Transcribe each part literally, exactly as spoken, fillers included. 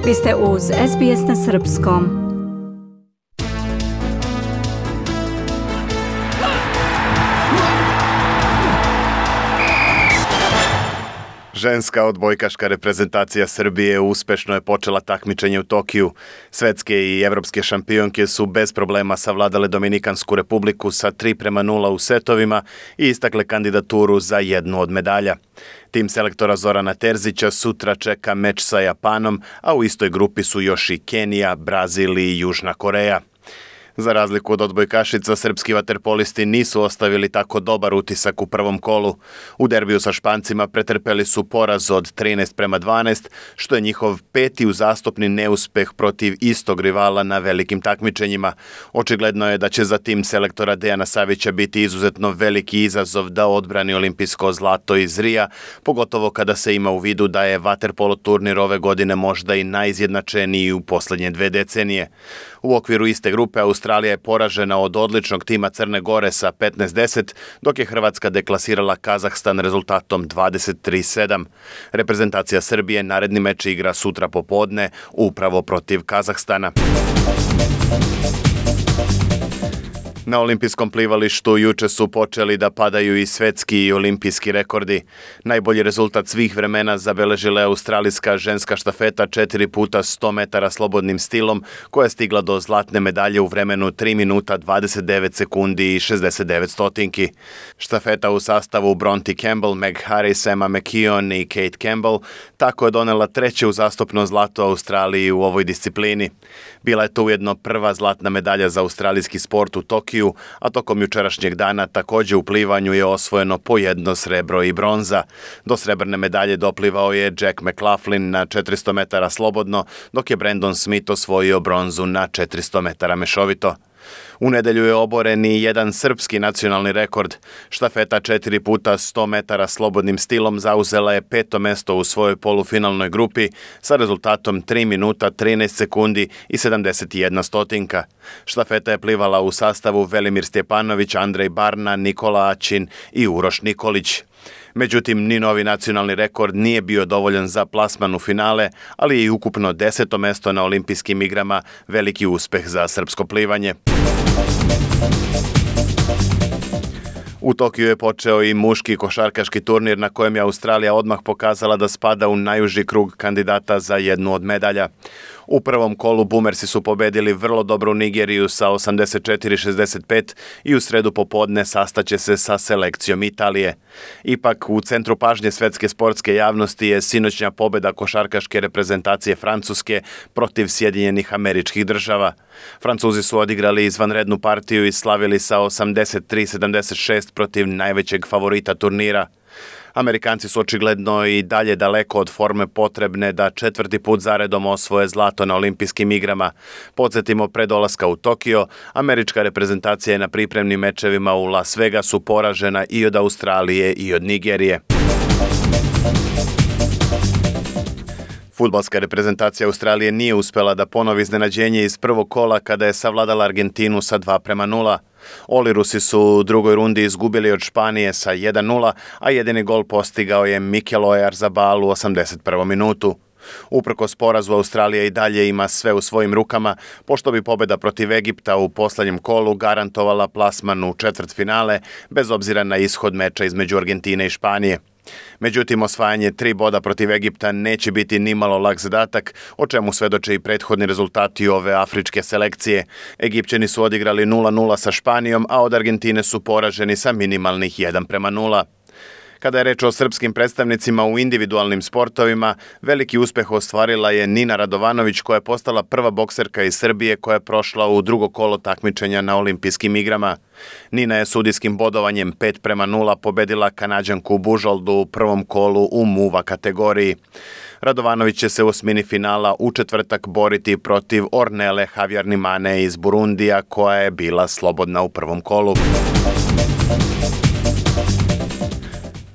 Vi ste uz S B S na srpskom. Ženska odbojkaška reprezentacija Srbije uspešno je počela takmičenje u Tokiju. Svetske i evropske šampionke su bez problema savladale Dominikansku republiku sa tri prema nula u setovima i istakle kandidaturu za jednu od medalja. Tim selektora Zorana Terzića sutra čeka meč sa Japanom, a u istoj grupi su još i Kenija, Brazil i Južna Koreja. Za razliku od odbojkašica, srpski vaterpolisti nisu ostavili tako dobar utisak u prvom kolu. U derbiju sa Špancima pretrpeli su poraz od trinaest prema dvanaest, što je njihov peti uzastopni neuspeh protiv istog rivala na velikim takmičenjima. Očigledno je da će za tim selektora Dejana Savića biti izuzetno veliki izazov da odbrani olimpijsko zlato iz Rija, pogotovo kada se ima u vidu da je vaterpolo turnir ove godine možda i najizjednačeniji u poslednje dve decenije. U okviru iste grupe Australija je poražena od odličnog tima Crne Gore sa petnaest deset, dok je Hrvatska deklasirala Kazahstan rezultatom dvadeset tri sedam. Reprezentacija Srbije naredni meč igra sutra popodne upravo protiv Kazahstana. Na olimpijskom plivalištu juče su počeli da padaju i svetski i olimpijski rekordi. Najbolji rezultat svih vremena zabeležila je australijska ženska štafeta četiri puta sto metara slobodnim stilom, koja je stigla do zlatne medalje u vremenu tri minuta dvadeset devet sekundi i šezdeset devet stotinki. Štafeta u sastavu Bronte Campbell, Meg Harris, Emma McKeon i Kate Campbell tako je donela treće uzastopno zlato Australiji u ovoj disciplini. Bila je to ujedno prva zlatna medalja za australijski sport u Tokiju, a tokom jučerašnjeg dana takođe u plivanju je osvojeno po jedno srebro i bronza. Do srebrne medalje doplivao je Jack McLaughlin na četiristo metara slobodno, dok je Brandon Smith osvojio bronzu na četiristo metara mešovito. U nedelju je oboren i jedan srpski nacionalni rekord. Štafeta četiri puta sto metara slobodnim stilom zauzela je peto mesto u svojoj polufinalnoj grupi sa rezultatom tri minuta trinaest sekundi i sedamdeset jedna stotinka. Štafeta je plivala u sastavu Velimir Stjepanović, Andrej Barna, Nikola Ačin i Uroš Nikolić. Međutim, ni novi nacionalni rekord nije bio dovoljan za plasman u finale, ali je i ukupno deseto mesto na olimpijskim igrama veliki uspeh za srpsko plivanje. U Tokiju je počeo i muški košarkaški turnir na kojem je Australija odmah pokazala da spada u najuži krug kandidata za jednu od medalja. U prvom kolu Bumersi su pobedili vrlo dobru Nigeriju sa osamdeset četiri šezdeset pet i u sredu popodne sastaće se sa selekcijom Italije. Ipak, u centru pažnje svetske sportske javnosti je sinoćnja pobeda košarkaške reprezentacije Francuske protiv Sjedinjenih Američkih Država. Francuzi su odigrali izvanrednu partiju i slavili sa osamdeset tri sedamdeset šest protiv najvećeg favorita turnira. Amerikanci su očigledno i dalje daleko od forme potrebne da četvrti put zaredom osvoje zlato na olimpijskim igrama. Podsjetimo, pre dolaska u Tokio, američka reprezentacija je na pripremnim mečevima u Las Vegasu poražena i od Australije i od Nigerije. Fudbalska reprezentacija Australije nije uspela da ponovi iznenađenje iz prvog kola kada je savladala Argentinu sa dva prema nula. Olirusi su u drugoj rundi izgubili od Španije sa jedan nula, a jedini gol postigao je Mikel Oyarzabal u osamdeset prvom minutu. Uprkos porazu, Australija i dalje ima sve u svojim rukama, pošto bi pobeda protiv Egipta u poslednjem kolu garantovala plasman u četvrtfinale, bez obzira na ishod meča između Argentine i Španije. Međutim, osvajanje tri boda protiv Egipta neće biti nimalo lak zadatak, o čemu svedoče i prethodni rezultati ove afričke selekcije. Egipćani su odigrali nula nula sa Španijom, a od Argentine su poraženi sa minimalnih jedan prema nula. Kada je reč o srpskim predstavnicima u individualnim sportovima, veliki uspeh ostvarila je Nina Radovanović, koja je postala prva bokserka iz Srbije koja je prošla u drugo kolo takmičenja na olimpijskim igrama. Nina je sudijskim bodovanjem pet prema nula pobedila Kanađanku Bužoldu u prvom kolu u muva kategoriji. Radovanović će se u osmini finala u četvrtak boriti protiv Ornele Havjarnimane iz Burundija, koja je bila slobodna u prvom kolu.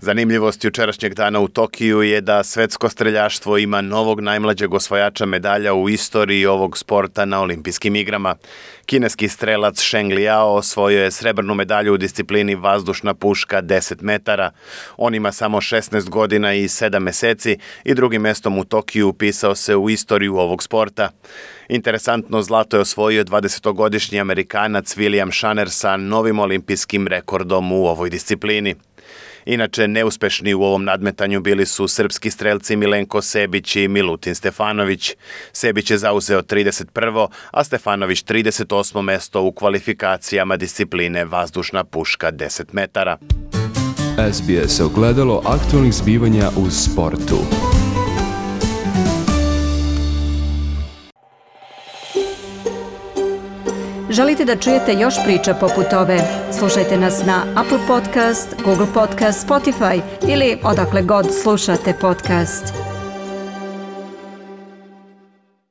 Zanimljivost jučerašnjeg dana u Tokiju je da svetsko streljaštvo ima novog najmlađeg osvajača medalja u istoriji ovog sporta na olimpijskim igrama. Kineski strelac Sheng Liao osvojio je srebrnu medalju u disciplini vazdušna puška deset metara. On ima samo šesnaest godina i sedam meseci i drugim mestom u Tokiju upisao se u istoriju ovog sporta. Interesantno, zlato je osvojio dvadesetogodišnji Amerikanac William Shanner sa novim olimpijskim rekordom u ovoj disciplini. Inače, neuspešni u ovom nadmetanju bili su srpski strelci Milenko Sebić i Milutin Stefanović. Sebić je zauzeo trideset prvo, a Stefanović trideset osmo mesto u kvalifikacijama discipline vazdušna puška deset metara. S B S ogledalo aktualnih zbivanja u sportu. Želite da čujete još priča poput ove? Slušajte nas na Apple Podcast, Google Podcast, Spotify ili odakle god slušate podcast.